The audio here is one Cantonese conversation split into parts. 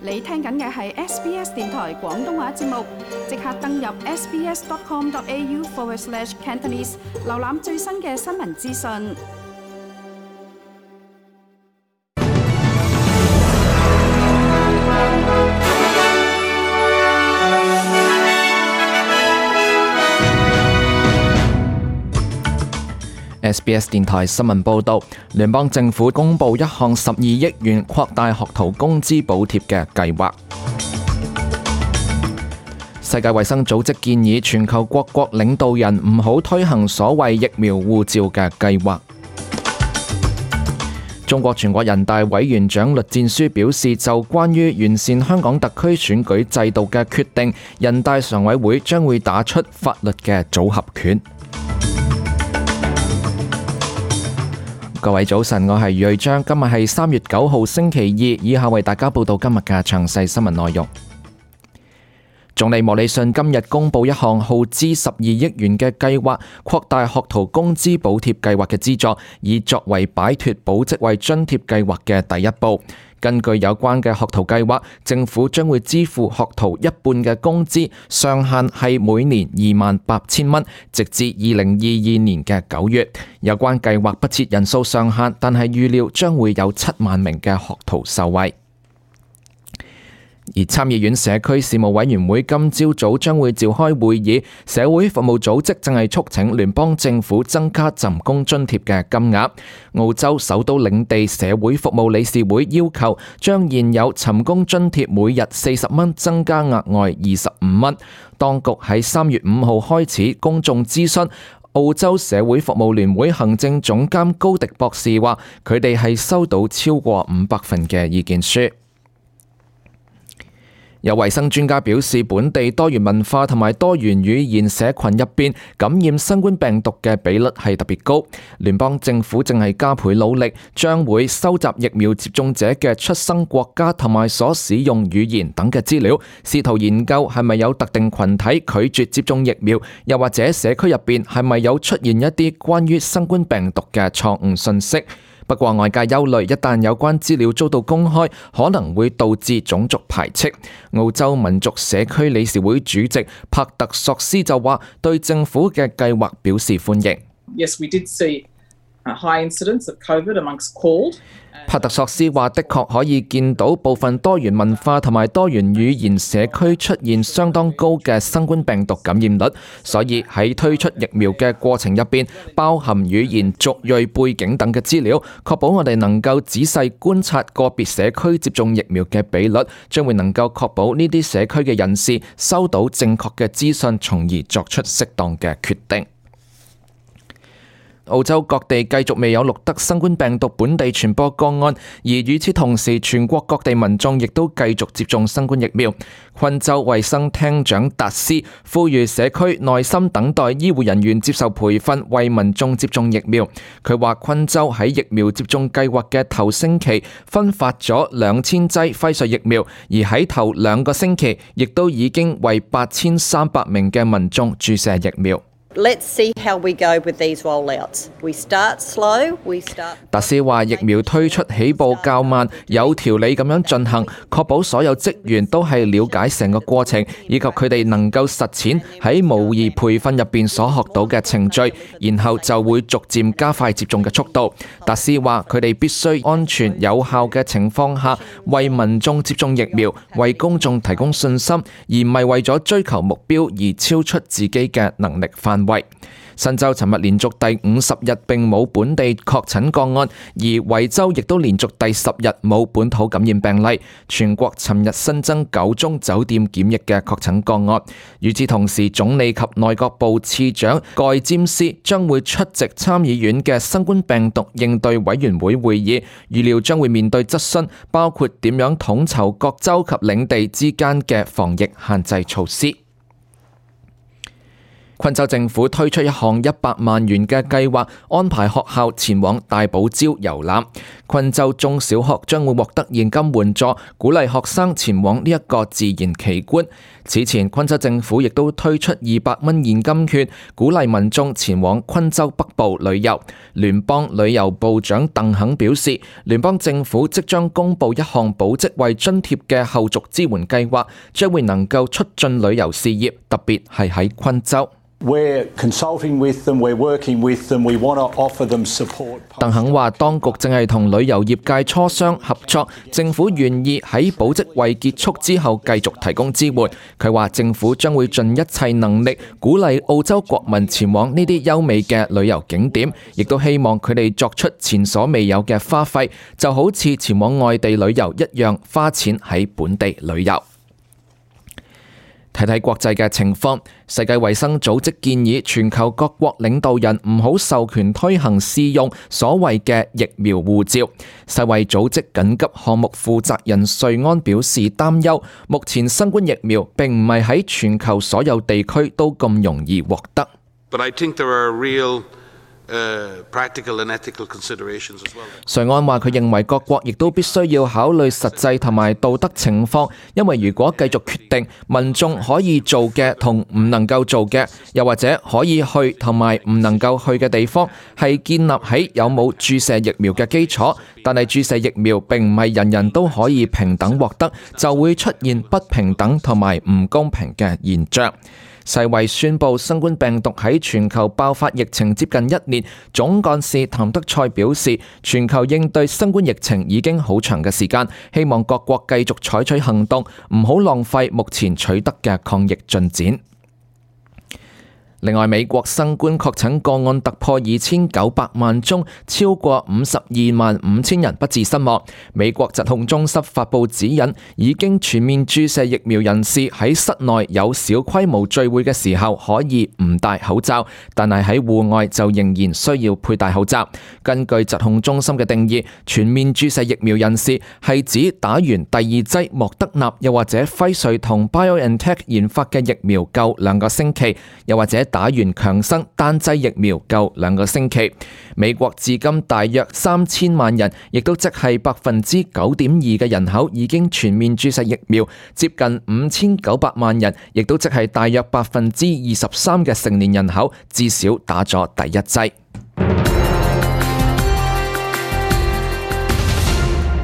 你聽緊嘅係 SBS 電台廣東話節目，即刻登入 sbs.com.au/Cantonese 瀏覽最新嘅新聞資訊。SBS 電台新聞報導，聯邦政府公布一項12億元擴大學徒工資補貼嘅計劃。世界衛生組織建議全球各國領導人唔好推行所謂疫苗護照嘅計劃。中國全國人大委員長栗戰書表示，就關於完善香港特區選舉制度嘅決定，人大常委會將會打出法律嘅組合拳。各位早晨，我係余瑞章，今日係3月9號星期二，以下為大家報道今日嘅詳細新聞內容。總理莫里遜今日公布一項耗資12億元嘅計劃，擴大學徒工資補貼計劃嘅資助，以作為擺脫保職位津貼計劃嘅第一步。根據有關嘅學徒計劃，政府將會支付學徒一半嘅工資，上限係每年28,000蚊，直至2022年嘅9月。有關計劃不設人數上限，但係預料將會有7萬名嘅學徒受惠。而參議院社區事務委員會今朝早將會召開會議，社會服務組織正係促請聯邦政府增加尋工津貼嘅金額。澳洲首都領地社會服務理事會要求將現有尋工津貼每日40蚊增加額外25蚊。當局喺3月5號開始公眾諮詢。澳洲社會服務聯會行政總監高迪博士話，佢哋係收到超過500份嘅意見書。有衛生專家表示，本地多元文化同埋多元語言社群入邊感染新冠病毒嘅比率係特別高。聯邦政府正係加倍努力，將會收集疫苗接種者嘅出生國家同埋所使用語言等嘅資料，試圖研究係咪有特定群體拒絕接種疫苗，又或者社區入邊係咪有出現一啲關於新冠病毒嘅錯誤信息。不過外界憂慮，一旦有關資料遭到公開，可能會導致種族排斥。澳洲民族社區理事會主席帕特索斯就話，對政府嘅計劃表示歡迎。Yes, we did see a high incidence of COVID amongst CALD. 帕特索斯話，的確可以見到部分多元文化同埋多元語言社區出現相當高嘅新冠病毒感染率，所以喺推出疫苗嘅過程入邊，包含語言、族裔背景等嘅資料，確保我哋能夠仔細觀察個別社區接種疫苗嘅比率，將會能夠確保呢啲社區嘅人士收到正確嘅資訊，從而作出適當嘅決定。澳洲各地繼續未有錄得新冠病毒本地傳播個案，而與此同時，全國各地民眾亦都繼續接種新冠疫苗。昆州衛生廳長達斯呼籲社區耐心等待醫護人員接受培訓，為民眾接種疫苗。佢話昆州喺疫苗接種計劃嘅頭星期分發咗2000劑輝瑞疫苗，而喺頭2個星期亦都已經為8300名嘅民眾注射疫苗。Let's see how we go with these rollouts. We start slow, we start. 達斯話：疫苗推出起步較慢，有條理咁樣進行，確保所有職員都係了解成個過程，以及佢哋能夠實踐喺模擬培訓入邊所學到嘅程序，然後就會逐漸加快接種嘅速度。達斯話：佢哋必須安全有效嘅情況下，為民眾接種疫苗，為公眾提供信心，而唔係為咗追求目標而超出自己嘅能力範圍。新州尋日連續第50日並冇本地確診個案，而維州亦都連續第10日冇本土感染病例。全國尋日新增9宗酒店檢疫嘅確診個案。與此同時，總理及內閣部次長蓋詹斯將會出席參議院嘅新冠病毒應對委員會會議，預料將會面對質詢，包括點樣統籌各州及領地之間嘅防疫限制措施。昆州政府推出一項100萬元嘅計劃，安排學校前往大堡礁遊覽。昆州中小學將會獲得現金援助，鼓勵學生前往呢一個自然奇觀。此前，昆州政府亦都推出200蚊現金券，鼓勵民眾前往昆州北部旅遊。聯邦旅遊部長鄧肯表示，聯邦政府即將公布一項保職位津貼嘅後續支援計劃，將會能夠促進旅遊事業，特別係喺昆州。We're consulting with them, we're working with them, we want to offer them support. 鄧肯話，當局正係同旅遊業界磋商合作，政府願意喺保職位結束之後繼續提供支援。佢話政府將會盡一切能力鼓勵澳洲國民前往呢啲優美嘅旅遊景點，亦都希望佢哋作出前所未有嘅花費，就好似前往外地旅遊一樣，花錢喺本地旅遊。睇睇國際嘅情況，世界衛生組織建議全球各國領導人唔好授權推行試用所謂嘅疫苗護照。世衛組織緊急項目負責人瑞安表示擔憂，目前新冠疫苗並唔係喺全球所有地區都咁容易獲得。But I think there are real practical and ethical considerations as well. 瑞安話佢認為各國亦都必須要考慮實際同埋道德情況，因為如果繼續決定民眾可以做嘅同唔能夠做嘅，又或者可以去同埋唔能夠去嘅地方，係建立喺有冇注射疫苗嘅基礎，但係注射疫苗並唔係人人都可以平等獲得，就會出現不平等同埋唔公平嘅現象。世衛宣布新冠病毒喺全球爆發疫情接近1年，總幹事譚德塞表示，全球應對新冠疫情已經好長嘅時間，希望各國繼續採取行動，唔好浪費目前取得嘅抗疫進展。另外，美國新冠確診個案突破2900萬宗，超過52萬5千人不治身亡。美國疾控中心發布指引，已經全面注射疫苗人士喺室內有小規模聚會嘅時候可以唔戴口罩，但係喺戶外就仍然需要佩戴口罩。根據疾控中心嘅定義，全面注射疫苗人士係指打完第2劑莫德納又或者輝瑞同 BioNTech 研發嘅疫苗夠2個星期，又或者打完強生單劑疫苗夠2個星期。美國至今大約3000萬人，亦都即係9.2%嘅人口已經全面注射疫苗，接近5900萬人，亦都即係大約23%嘅成年人口至少打咗第1劑。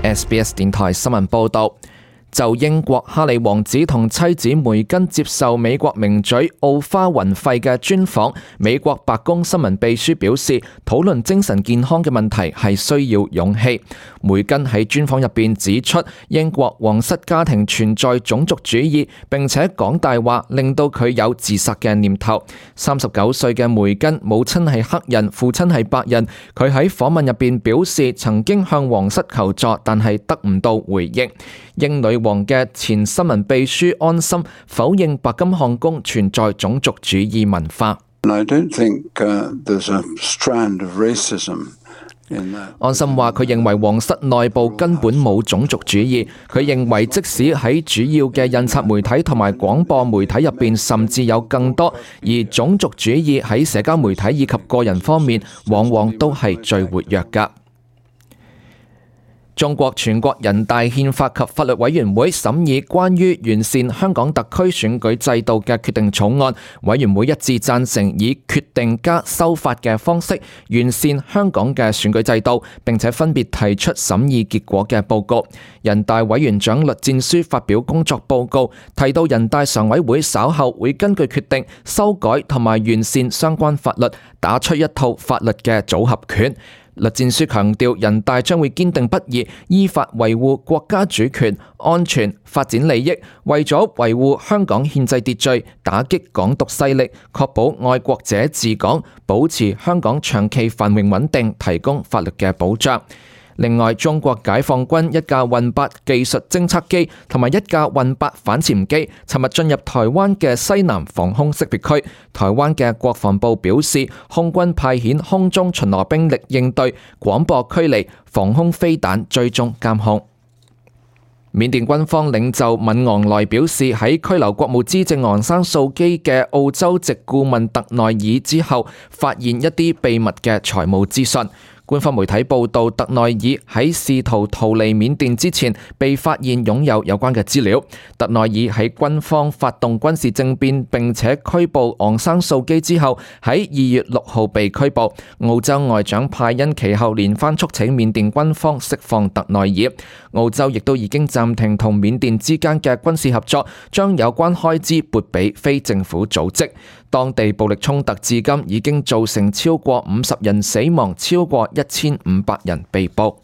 SBS 電台新聞報道。就英國哈利王子同妻子梅根接受美國名嘴奧花雲費嘅專訪，美國白宮新聞秘書表示，討論精神健康嘅問題係需要勇氣。梅根喺專訪入邊指出，英國皇室家庭存在種族主義，並且講大話，令到佢有自殺嘅念頭。39歲嘅梅根母親係黑人，父親係白人。佢喺訪問入邊表示，曾經向皇室求助，但係得唔到回應。英女王嘅前新聞秘書安森否認白金漢宮存在種族主義文化。安森話佢認為皇室內部根本冇種族主義，佢認為即使喺主要嘅印刷媒體同埋廣播媒體入邊，甚至有更多，而種族主義喺社交媒體以及個人方面，往往都係最活躍㗎。中國全國人大憲法及法律委員會審議關於完善香港特區選舉制度嘅決定草案，委員會一致贊成以決定加修法嘅方式完善香港嘅選舉制度，並且分別提出審議結果嘅報告。人大委員長栗戰書發表工作報告，提到人大常委會稍後會根據決定修改同埋完善相關法律，打出一套法律嘅組合拳。栗戰書強調，人大將會堅定不移，依法維護國家主權、安全、發展利益，為咗維護香港憲制秩序，打擊港獨勢力，確保愛國者治港，保持香港長期繁榮穩定，提供法律嘅保障。另外，中國解放軍一架運8技術偵測機同埋一架運8反潛機，尋日進入台灣嘅西南防空識別區。台灣嘅國防部表示，空軍派遣空中巡邏兵力應對，廣播驅離，防空飛彈追蹤監控。緬甸軍方領袖敏昂萊表示，喺拘留國務資政昂山素基嘅澳洲籍顧問特內爾之後，發現一啲秘密嘅財務資訊。官方媒體報道，特內爾喺試圖逃離緬甸之前被發現擁有關嘅資料。特內爾喺軍方發動軍事政變並且拘捕昂山素基之後，喺2月6號被拘捕。澳洲外長派恩其後連番促請緬甸軍方釋放特內爾。澳洲亦都已經暫停同緬甸之間嘅軍事合作，將有關開支撥俾非政府組織。當地暴力衝突至今已經造成超過50人死亡，超過1500人被捕。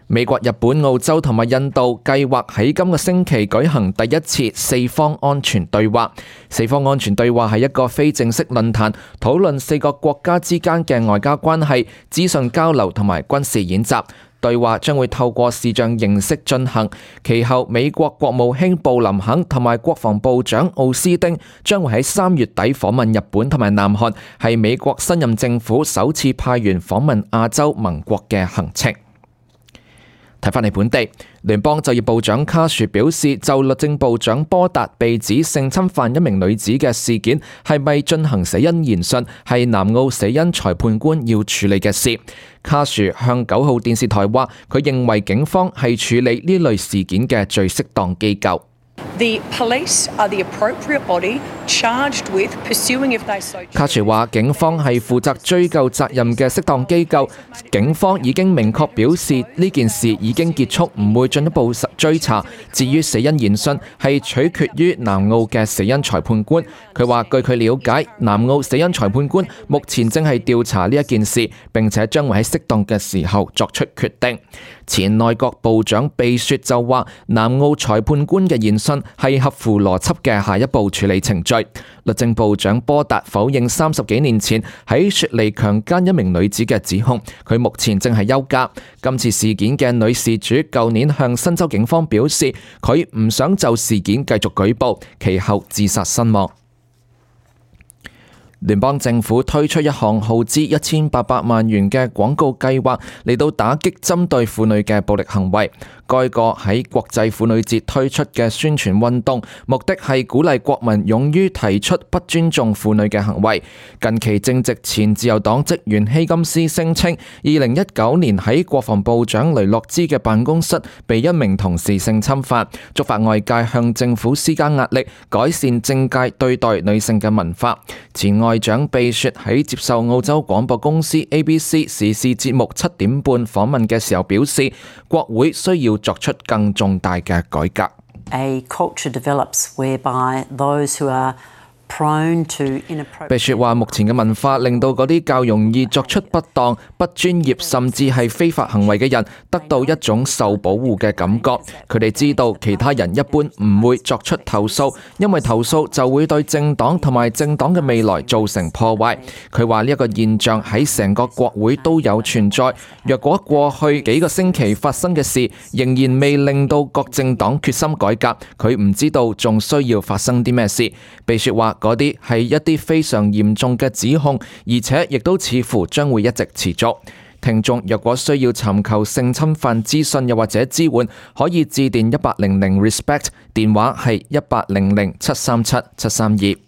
美國、日本、澳洲同埋印度計劃喺今個星期舉行第一次四方安全對話。四方安全對話係一個非正式論壇，討論4個國家之間嘅外交關係、資訊交流同埋軍事演習。對話將會透過視像形式進行，其後美國國務卿布林肯同埋國防部長奧斯汀將會喺3月底訪問日本同埋南韓，係美國新任政府首次派員訪問亞洲盟國嘅行程。睇返嚟本地，聯邦就業部長卡殊表示，就律政部長波達被指性侵犯一名女子嘅事件，係咪進行死因研訊，係南澳死因裁判官要處理嘅事。卡殊向9號電視台話，佢認為警方係處理呢類事件嘅最適當機構。The police are the appropriate body charged with pursuing if they so choose. 卡殊話，警方係負責追究責任嘅適當機構。警方已經明確表示呢件事已經結束，唔會進一步追查。至於死因研訊係取決於南澳嘅死因裁判官。佢話據佢了解，南澳死因裁判官目前正係調查呢一件事，並且將會喺適當嘅時候作出決定。前內閣部長貝雪就話，南澳裁判官嘅研訊係合乎邏輯嘅下一步處理程序。律政部長波達否認30幾年前喺雪梨強姦一名女子嘅指控，佢目前正係休假。今次事件嘅女事主舊年向新州警方表示，佢唔想就事件繼續舉報，其後自殺身亡。聯邦政府推出一項耗資1800萬元嘅廣告計劃，嚟到打擊針對婦女嘅暴力行為。該個喺國際婦女節推出嘅宣傳運動，目的係鼓勵國民勇於提出不尊重婦女嘅行為。近期正值前自由黨職員希金斯聲稱，2019年喺國防部長雷諾茲嘅辦公室被一名同事性侵犯，觸發外界向政府施加壓力，改善政界對待女性嘅文化。前外長貝雪喺接受澳洲廣播公司 ABC 時事節目7點半訪問嘅時候表示，國會需要作出更重大嘅改革。A culture develops whereby those who are貝雪話，目前嘅文化令到嗰啲較容易作出不當、不專業甚至係非法行為嘅人得到一種受保護嘅感覺。佢哋知道其他人一般唔會作出投訴，因為投訴就會對政黨同埋政黨嘅未來造成破壞。佢話呢一個現象喺成個國會都有存在。若果過去幾個星期發生嘅事仍然未令到各政黨決心改革，佢唔知道仲需要發生啲咩事。貝雪話，嗰啲係一啲非常嚴重嘅指控，而且亦都似乎將會一直持續。聽眾若果需要尋求性侵犯資訊又或者支援，可以致電1800 RESPECT， 電話係1800 737 732。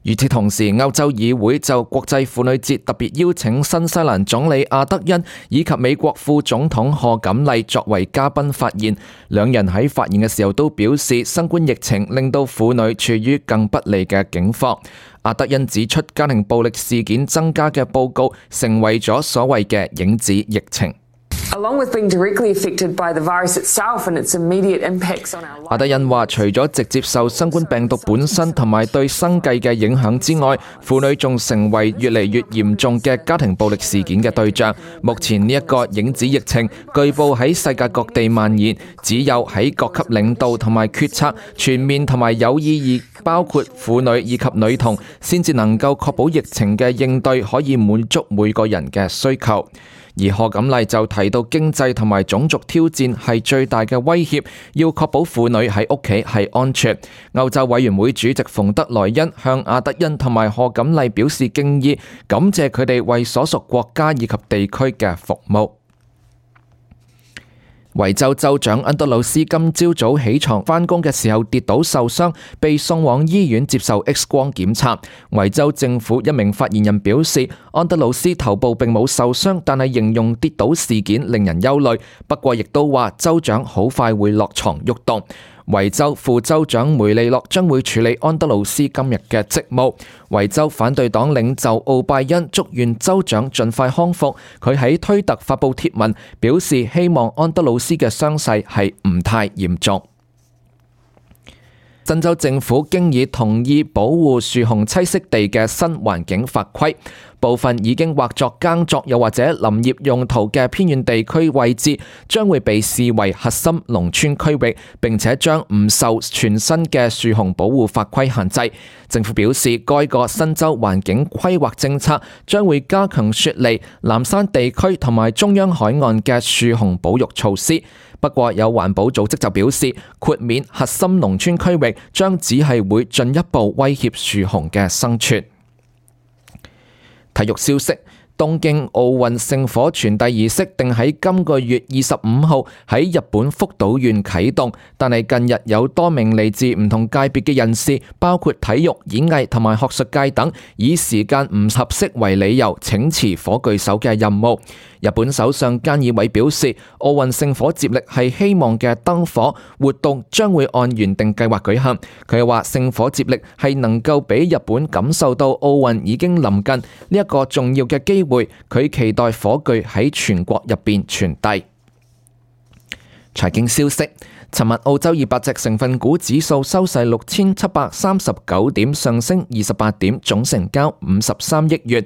與此同時，歐洲議會就國際婦女節特別邀請新西蘭總理阿德恩以及美國副總統賀錦麗作為嘉賓發言。兩人喺發言嘅時候都表示，新冠疫情令到婦女處於更不利嘅境況。阿德恩指出，家庭暴力事件增加嘅報告成為咗所謂嘅影子疫情。阿德恩話，除咗直接受新冠病毒本身同埋對生計嘅影響之外，婦女仲成為越嚟越嚴重嘅家庭暴力事件嘅對象。目前呢一個影子疫情據報喺世界各地蔓延，只有喺各級領導同埋決策全面同埋有意義，包括婦女以及女童，先至能夠確保疫情嘅應對可以滿足每個人嘅需求。而賀錦麗就提到，經濟同埋種族挑戰係最大嘅威脅，要確保婦女喺屋企係安全。歐洲委員會主席馮德萊恩向阿德恩同埋賀錦麗表示敬意，感謝佢哋為所屬國家以及地區嘅服務。維州州長安德魯斯今朝早起床返工嘅時候跌倒受傷，被送往醫院接受 X 光檢查。維州政府一名發言人表示，安德魯斯頭部並冇受傷，但係形容跌倒事件令人憂慮。不過亦都話州長好快會落床喐動。維州副州長梅利諾將會處理安德魯斯今日嘅職務。維州反對黨領袖奧拜恩祝願州長盡快康復。佢喺推特發布貼文，表示希望安德魯斯嘅傷勢係唔太嚴重。新州政府經已同意保護樹熊棲息地嘅新環境法規，部分已經劃作耕作又或者林業用途嘅偏遠地區位置，將會被視為核心農村區域，並且將唔受全新嘅樹熊保護法規限制。政府表示，該個新州環境規劃政策將會加強雪梨、南山地區同埋中央海岸嘅樹熊保育措施。不過有環保組織就表示，豁免核心農村區域將只係會進一步威脅樹熊嘅生存。體育消息，東京奧運聖火傳遞儀式定喺今個月25號喺日本福島縣啟動，但係近日有多名嚟自唔同界別嘅人士，包括體育、演藝同埋學術界等，以時間唔合適為理由請辭火炬手嘅任務。日本首相菅義偉表示，奧運聖火接力係希望嘅燈火活動將會按原定計劃舉行。佢又話聖火接力係能夠俾日本感受到奧運已經臨近呢一個重要嘅機會，佢期待火炬喺全國入邊傳遞。財經消息，尋日澳洲200隻成分股指數收市6739點，上升28點，總成交53億元。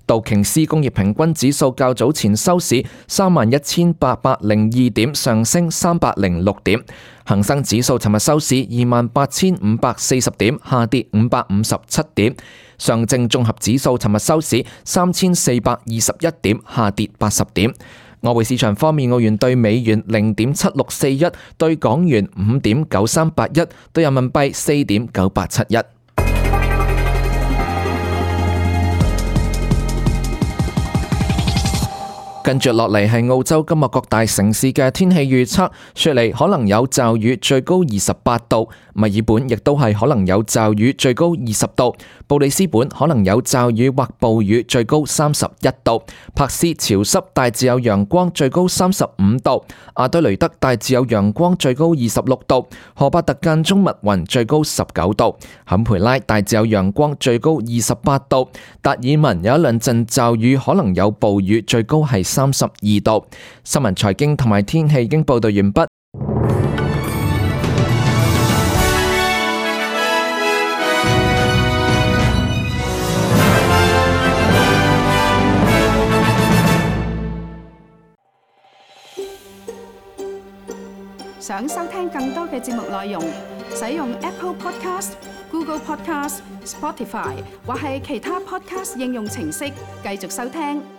道瓊斯工業平均指數較早前收市31,802點，上升306點。恒生指數尋日收市28,540點，下跌557點。上證綜合指數尋日收市3,421點，下跌80點。外匯市場方面，澳元對美元0.7641，對港元5.9381，對人民幣4.9871。跟住落嚟係澳洲今日各大城市嘅天氣預測，雪梨可能有驟雨，最高28度；墨爾本亦都係可能有驟雨，最高20度；布里斯本可能有驟雨或暴雨，最高31度；珀斯潮濕，大致有陽光，最高35度；阿德雷德大致有陽光，最高26度；荷伯特間中密雲，最高19度；坎培拉大致有陽光，最高28度；達爾文有一兩陣驟雨，可能有暴雨，最高係32度。新聞、財經同埋天氣已經報道完畢。想收聽更多嘅節目內容，使用 Apple Podcast、Google Podcast、Spotify 或係其他 Podcast 應用程式繼續收聽。